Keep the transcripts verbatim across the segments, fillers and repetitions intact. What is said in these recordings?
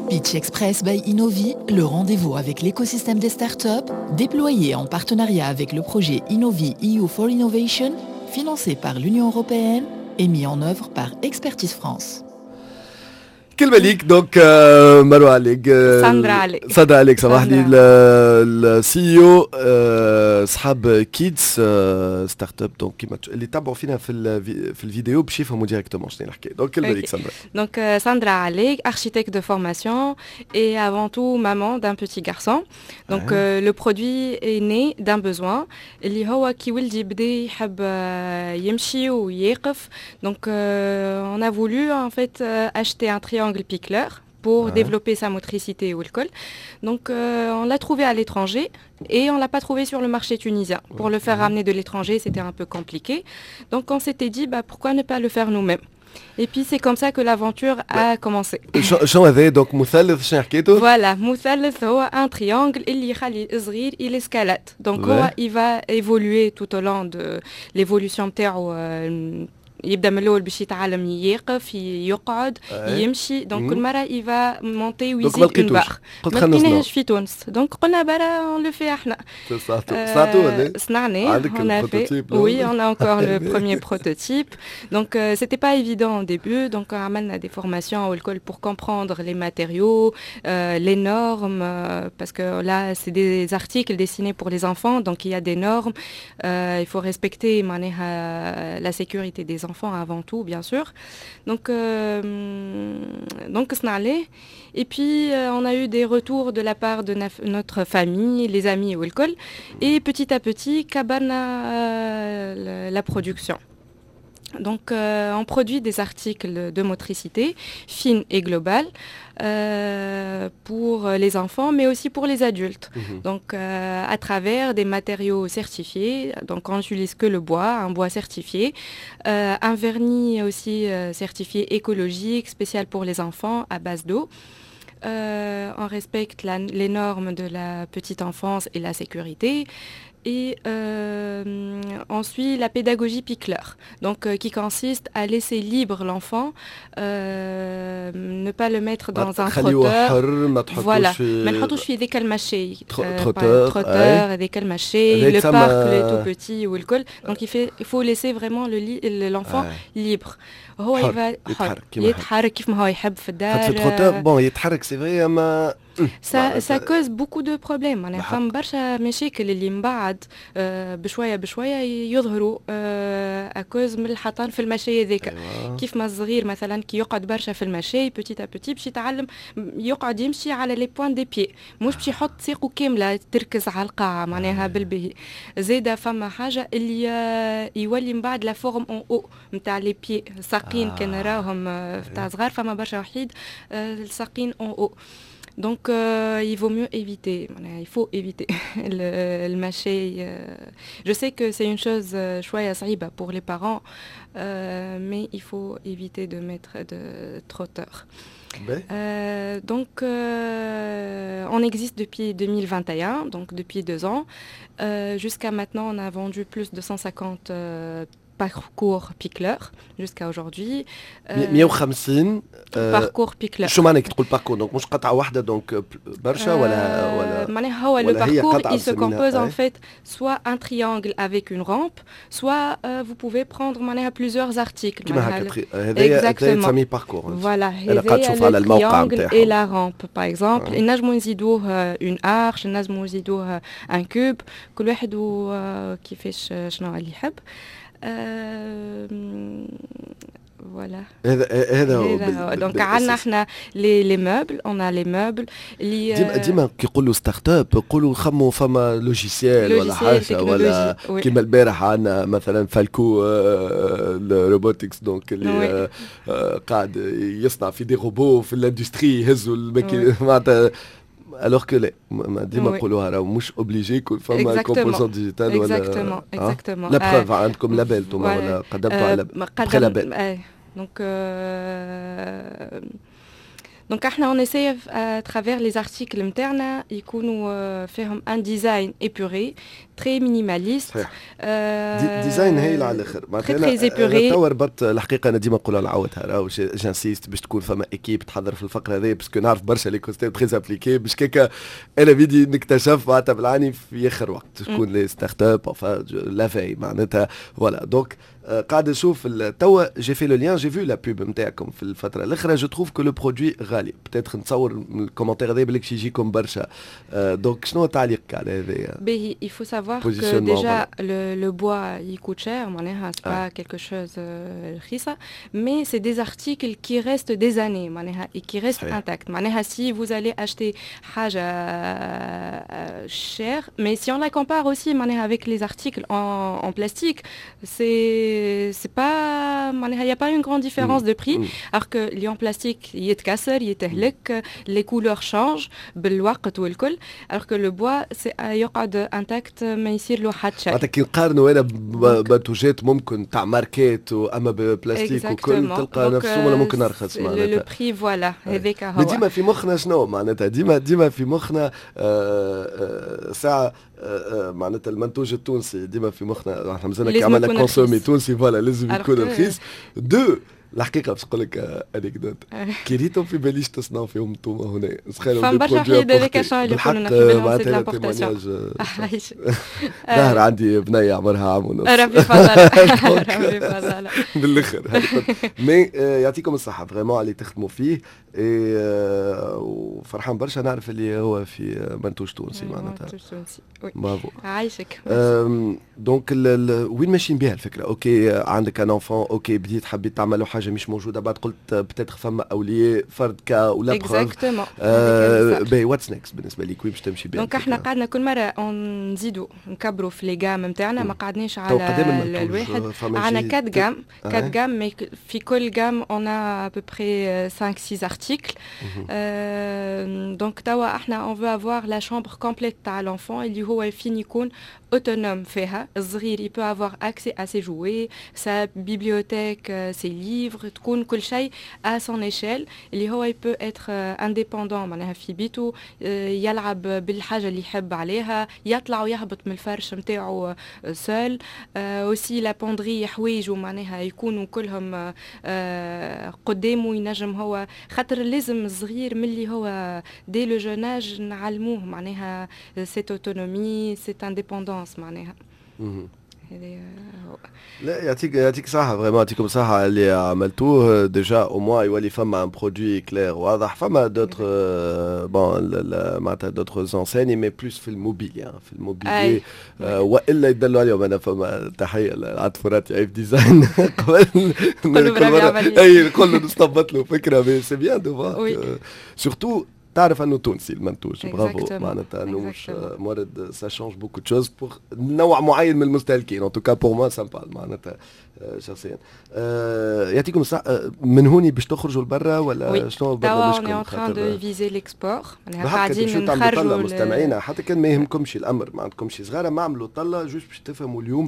Pitch Express by Innovi, le rendez-vous avec l'écosystème des startups, déployé en partenariat avec le projet Innovi E U for Innovation, financé par l'Union européenne et mis en œuvre par Expertise France. كلمة ليك donc مروة عليك. ساندرا عليك. ساندرا عليك، سامح لي، ال CEO صحاب Kids startup، donc كيما اللي تبعوا فينا في في الفيديو باش يفهموا directement شنو الحكايه، donc كلمة ليك ساندرا. Donc Sandra Alleg, architecte de formation et avant tout maman d'un petit garçon. Donc euh, le produit est né d'un besoin اللي هو كي ولدي بدا يحب يمشي ويقف. Donc euh, on a voulu en fait acheter un triangle Pikler pour ouais. développer sa motricité والكل. Donc euh, on l'a trouvé à l'étranger et on l'a pas trouvé sur le marché tunisien. Pour le faire ramener de l'étranger, c'était un peu compliqué. Donc on s'était dit, bah, pourquoi ne pas le faire nous-mêmes؟ Et puis c'est comme ça que l'aventure a commencé. شنو هذا donc مثلث؟ شنو حكيتو؟ Voilà، مثلث هو un triangle اللي يخلي الصغير il escalade. Donc هو il va évoluer tout au long de l'évolution تاعو، يبدا من الاول باش يتعلم يقف، يقعد، يمشي، donc كل مره il va monter ويزيد une barre. ما لقيناهش في تونس، donc قلنا برا on le fait احنا. صنعتو ولا؟ صنعناه، on a fait، oui، on a encore le premier prototype. donc euh, c'était pas évident au début، donc عملنا des formations والكل pour comprendre les matériaux، euh, les normes، euh, parce que là c'est des articles destinés pour les enfants، donc il y a des normes، euh, il faut respecter معناها la sécurité des enfants avant tout، bien sûr. Donc, euh, donc et puis euh, on a eu des retours de la part de notre famille، les amis والكل، et petit à petit كبرنا euh, la production. Donc, euh, on produit des articles de motricité fine et globale euh, pour les enfants, mais aussi pour les adultes. Mhm. Donc, euh, à travers des matériaux certifiés. Donc, on n'utilise que le bois، un bois certifié, euh, un vernis aussi euh, certifié écologique، spécial pour les enfants à base d'eau. Euh, on respecte la- les normes de la petite enfance et la sécurité. Et euh, on suit la pédagogie Pikler، donc euh, qui consiste à laisser libre l'enfant، euh, ne pas le mettre dans un خليه trotteur. حر، ما تحطوش Voilà. في ما نحطوش في ذيك المشي trotteur. trotteur، هذيك المشي، le تسمى- parc، les tout petits والكل. donc il fait il faut laisser vraiment le l'enfant libre، هو حر، il va يتحرك كيما يحب. يتحرك كيف ما هو يحب في الدار. خاطر في trotteur، bon، يتحرك، c'est vrai، اما ça ça cause beaucoup de problèmes، معناها بالحق. فما برشا مشاكل اللي من بعد آه، بشوية بشوية يظهروا à cause من الحطان في المشي هذاك. أيوة. كيف ما الصغير مثلا كي يقعد برشا في المشي، petit à petit باش يتعلم يقعد يمشي على les pointes des pieds، مش باش يحط ساقه كاملة تركز على القاعة معناها بالباهي. زاده فما حاجة اللي آه، يولي من بعد la forme en O نتاع les pieds، الساقين. آه. كان راهم آه، تاع صغار، فما برشا وحيد آه، الساقين en O. Donc euh, il vaut mieux éviter، معناها il faut éviter le- المشي. euh, Je sais que c'est une chose euh, شوية صعيبة pour les parents، euh, mais il faut éviter de mettre de trotteur. باهي. Euh, donc, euh, on existe depuis deux mille vingt et un، donc depuis deux ans. Euh, Jusqu'à maintenant، on a vendu plus de cent cinquante euh, parcours Pikler jusqu'à aujourd'hui. مية وخمسين parcours Pikler. شو معنى كي تقول parcours؟ donc مش قطعه واحده، donc برشا ولا ولا معناها هو le parcours il se compose en fait soit un triangle avec une rampe، soit euh, vous pouvez prendre معناها plusieurs articles. كيما هكا، هذايا تسميه parcours. Voilà، هذايا على الموقع triangle et la rampe par exemple. نجموا نزيدوه une arche، نجموا نزيدوه un cube، كل واحد كيفاش شنو اللي يحب. voilà. هذا هذا هو. donc عندنا احنا les les meubles، on a les meubles اللي ديما ديما كي يقولوا startup يقولوا خموا فما logiciel ولا حاجه، ولا كيما البارح عندنا مثلا Falco Robotics، donc اللي قاعد يصنع في des robots في l'industrie يهزوا الماكينة معناتها، alors que لا، ديما نقولوها راهو مش obligé يكون فما composante digitale ولا exactement exactement. la preuve عندكم label انتم ولا قدمتوا على pré-label. donc Donc احنا on essaye à travers les articles نتاعنا يكونوا فيهم un design épuré, très minimaliste. صحيح, design هايل على الاخر. معناتها très épuré. توا ربطت الحقيقه, انا ديما نقولها نعاودها, راهو j'insiste باش تكون فما équipe تحضر في الفقرة هذه, parce que نعرف برشا l'écosystème très impliqué, باش كيكا انا بيدي نكتشف معناتها بالعاني في اخر وقت شكون les startups, la veille معناتها. voilà, donc قاعد نشوف توا, j'ai fait le lien, j'ai vu la pub نتاعكم في الفترة الاخرى. je trouve que le produit غالي peut-être, نتصور من ال commentaire هذا بالك يجيكم برشا. donc شنو تعليقك على هذا؟ باهي, il faut savoir que déjà le, le bois il coûte cher, معناها c'est pas quelque chose رخيصه, mais c'est des articles qui restent des années معناها et qui restent intacts. معناها si vous allez acheter حاجة chère, mais si on la compare aussi معناها avec les articles en, en plastique, c'est c'est pas معناها il n'y a pas une grande différence de prix, alors que اللي en plastique يتكسر, يتهلك, les couleurs changent بالوقت والكل, alors que le bois c'est يقعد intact, ما يصير له حتى شيء. معناتها كي نقارنوا انا بمنتوجات ممكن تاع ماركات اما ببلاستيك وكل, تلقى نفسه ولا ممكن ارخص. معناتها le prix, voilà, هذاك هو. ديما في مخنا شنو معناتها؟ ديما ديما في مخنا آه، آه، ساعة آه، معناتها المنتوج التونسي ديما في مخنا احنا مازلنا كي عملنا consommer تونسي, voilà, لازم يكون رخيص. deux الحقيقة باش نقول لك anecdote, كي ريتهم في باليش تصنعوا فيهم انتم هنا. فما برشا حيد هذاك شنو اللي يقولوا في بالهم c'est l'importation. ظهر عندي بنيه عمرها عام ونص. ربي فضل, ربي فضل. بالاخر, mais يعطيكم الصحة vraiment اللي تخدموا فيه, وفرحان برشا نعرف اللي هو في منتوج تونسي معناتها. منتوج تونسي. برافو. عايشك. donc وين ماشيين بها الفكره؟ OK, عندك un enfant, OK, بديت حبيت تعمل حاجة مش موجوده, بعد قلت peut-être فما اولياء فرد cas ولا exactement. باهي, what's next بالنسبة ليك؟ وين باش تمشي بها؟ donc احنا قعدنا كل مرة نزيدوا نكبروا في les gammes نتاعنا, ما قعدناش على الواحد. عندنا quatre gammes, quatre gammes, mais في كل gamme on a à peu près cinq six articles. donc توا احنا on veut avoir la chambre complète تاع l'enfant, اللي هو فين يكون autonome فيها الصغير, il peut avoir accès à ses jouets, sa bibliothèque, ses livres, تكون كل شيء à son échelle, اللي هو il peut être indépendant معناها في بيته, يلعب بالحاجة اللي يحب عليها, يطلع ويهبط من الفرش نتاعو seul. aussi la penderie, حوايجو معناها يكونوا كلهم قدامه, ينجم هو, خاطر لازم الصغير ملي هو dès le jeune âge نعلموه معناها cette autonomie, cette indépendance معناها. هذا هو. لا, يعطيك يعطيك صحة, vraiment يعطيكم صحة اللي عملتوه. déjà au moins يولي فما un produit clair واضح. فما d'autres, bon, معناتها d'autres enseignes, mais plus في ال mobilier, في ال mobilier والا يدلوا عليهم. انا فما تحية لعاد فراتي عيف design, قبل اي نقول له نستنبط له فكرة, mais c'est bien de voir surtout تعرف انه تونسي المنتوج. برافو, معناتها انه مش مورد, ça change beaucoup de choses pour نوع معين من المستهلكين. en tout cas pour moi ça parle معناتها شخصيا. يعطيكم الصحة. من هوني باش تخرجوا لبرا ولا شنو برنامجكم؟ توا on est en train de viser l'export. قاعدين نخرجوا مستمعينا, حتى كان ما يهمكمش الامر, ما عندكمش صغار, ما عملوا طله juste باش تفهموا اليوم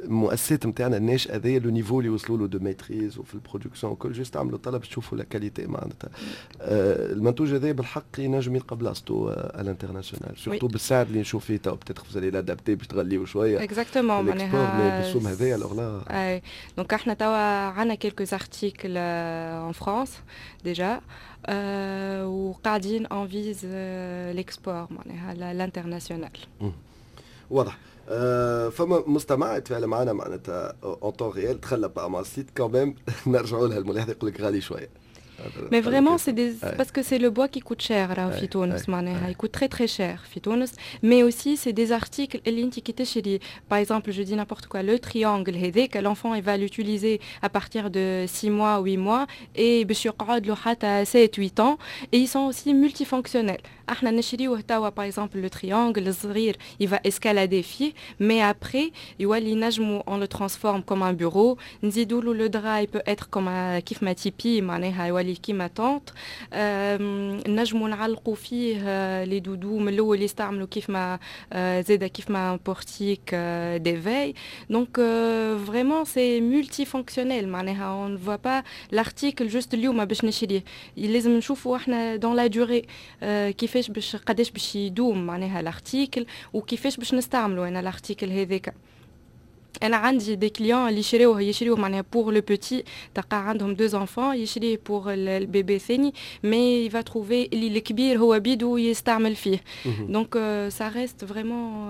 المؤسسات نتاعنا الناشئة هذايا, le niveau اللي وصلوا له de maîtrise وفي ال production وكل. juste عملوا طله باش تشوفوا la qualité معناتها. المنتوج هذا بالحق ينجم يلقى بلاصتو à l'international, surtout بالسعر اللي نشوف فيه تو. peut-être vous allez l'adapter باش تغليو شوية exactement معناها بالسوم هذايا, alors là donc احنا توا عندنا quelques articles en France déjà, وقاعدين on vise l'export معناها l'international. واضح. أه فما مستمع يتفاعل معنا معناتها en temps réel, دخل مع ال site quand même, نرجعوا لها الملاحظه, يقول لك غالي شوية. Mais vraiment, c'est des... parce que c'est le bois qui coûte cher راهو في تونس معناها, il coûte très très cher في تونس, mais aussi c'est des articles اللي انت كي تشري, par exemple, je dis n'importe quoi, le triangle هذاك, l'enfant il va l'utiliser à partir de six mois, huit mois, et باش يقعد له حتى sept huit ans, et ils sont aussi multifonctionnels. احنا نشريوه توا, par exemple le triangle الصغير, il va escalader فيه, mais après يولي نجمو on le transforme comme un bureau, نزيدوا له le drap, il peut être comme un كيف ما tipi, معناها يولي كيما tente، نجموا نعلقوا فيه les doudous من الاول يستعملوا كيف ما زاده كيف ما portique d'éveil. donc vraiment c'est multifonctionnel، معناها on ne voit pas l'article juste اليوم باش نشريه، لازم نشوفوا احنا dans la durée كيفاش باش قداش باش يدوم معناها l'article وكيفاش باش نستعملوا انا l'article هذاك. انا عندي des clients اللي يشريوه يشريوه معناها pour le petit، تلقى عندهم deux enfants، يشريه pour ال bébé ثاني، mais il va trouver اللي الكبير هو بيدو يستعمل فيه، donc ça reste vraiment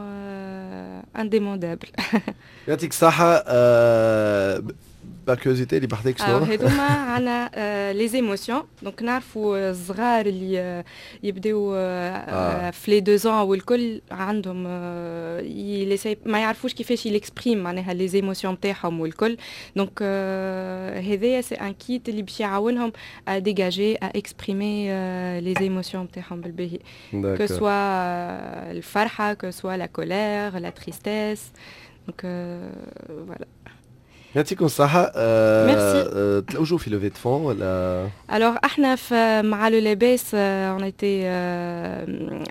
indémodable. يعطيك الصحة. par curiosité، اللي بحذاك شنو؟ هذوما عندنا les émotions. donc نعرفوا الصغار اللي يبداو في les deux ans والكل عندهم ما يعرفوش كيفاش ils expriment معناها les émotions نتاعهم والكل. donc هذايا c'est un kit اللي باش يعاونهم à dégager، à exprimer les émotions نتاعهم بالباهي، que ce soit الفرحه، que ce soit la colère، la tristesse. donc voilà. يعطيكم الصحة. ميرسي. تلوجوا في levée de fonds ولا؟ alors احنا في مع le لاباس، on a été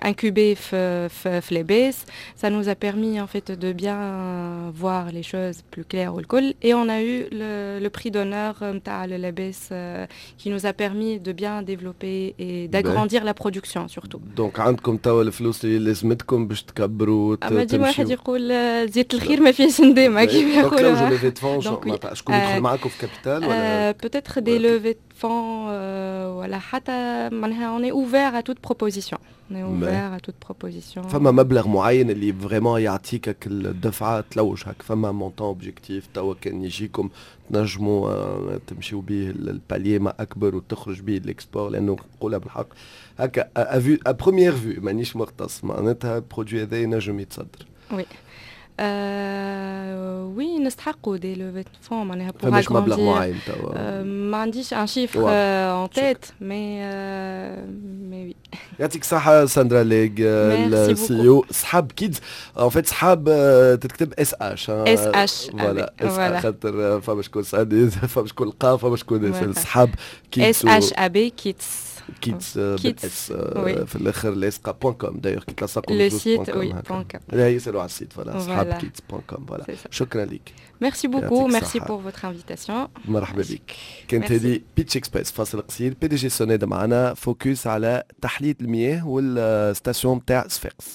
incubé في في, في لاباس، ça nous a permis en fait de bien voir les choses plus claires والكل، et on a eu le, le prix d'honneur نتاع le لاباس qui nous a permis de bien développer et d'agrandir la production surtout. donc عندكم توا الفلوس اللي لازمتكم باش تكبروا؟ اما ديما واحد يقول زيت الخير ما فيهش ندامه كيما يقولوا. levée de fonds، شكون يدخل معاكم في capital ولا؟ peut-être des levées de fonds ولا حتى معناها on est ouvert à toute proposition. On est ouvert à toute proposition. فما مبلغ معين اللي vraiment يعطيك الدفعة تلوج هك؟ فما montant objectif توا كان يجيكم تنجموا تمشيو به ال palier ما اكبر وتخرج به l'export؟ لانه نقولها بالحق هكا à vue، à première vue، مانيش مختص، معناتها ال produit هذا ينجم يتصدر. oui آه oui، نستحقوا des levées de fonds معناها pour agrandir. مبلغ معين توا؟ ما عنديش un chiffre en tête، mais mais oui. يعطيك الصحة ساندرا ليغ، ال CEO سحاب كيدز. en fait سحاب تتكتب S H. S H. voilà، S، خاطر فما شكون سألني، فما شكون لقى، فما شكون سحاب كيدز. S H A B كيدز. كيدز بال S في الاخر لاصقه. point com d'ailleurs كي تلصقوا le site، oui، point com. يسالوا على ال site، voilà، سحاب كيدز point com، voilà. شكرا لك. merci beaucoup، merci pour votre invitation. مرحبا بك. كانت هذه Pitch Express. فاصل قصير، PDG سوناد معنا، focus على تحلية المياه وال station تاع صفاقس.